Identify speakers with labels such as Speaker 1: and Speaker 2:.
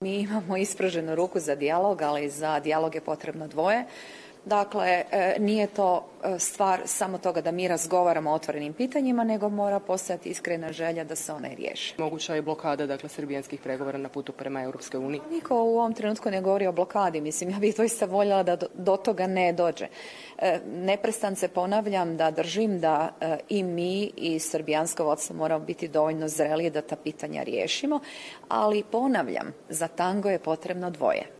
Speaker 1: Mi imamo ispruženu ruku za dijalog, ali za dijalog je potrebno dvoje. Dakle, nije to stvar samo toga da mi razgovaramo o otvorenim pitanjima, nego mora postojati iskrena želja da se one riješe.
Speaker 2: Moguća je blokada, dakle, srbijanskih pregovora na putu prema Europskoj uniji?
Speaker 1: Niko u ovom trenutku ne govori o blokadi. Mislim, ja bih doista voljela da do toga ne dođe. Neprestance ponavljam da držim da i mi i srbijansko vodstvo moramo biti dovoljno zrelije da ta pitanja riješimo, ali ponavljam, za tango je potrebno dvoje.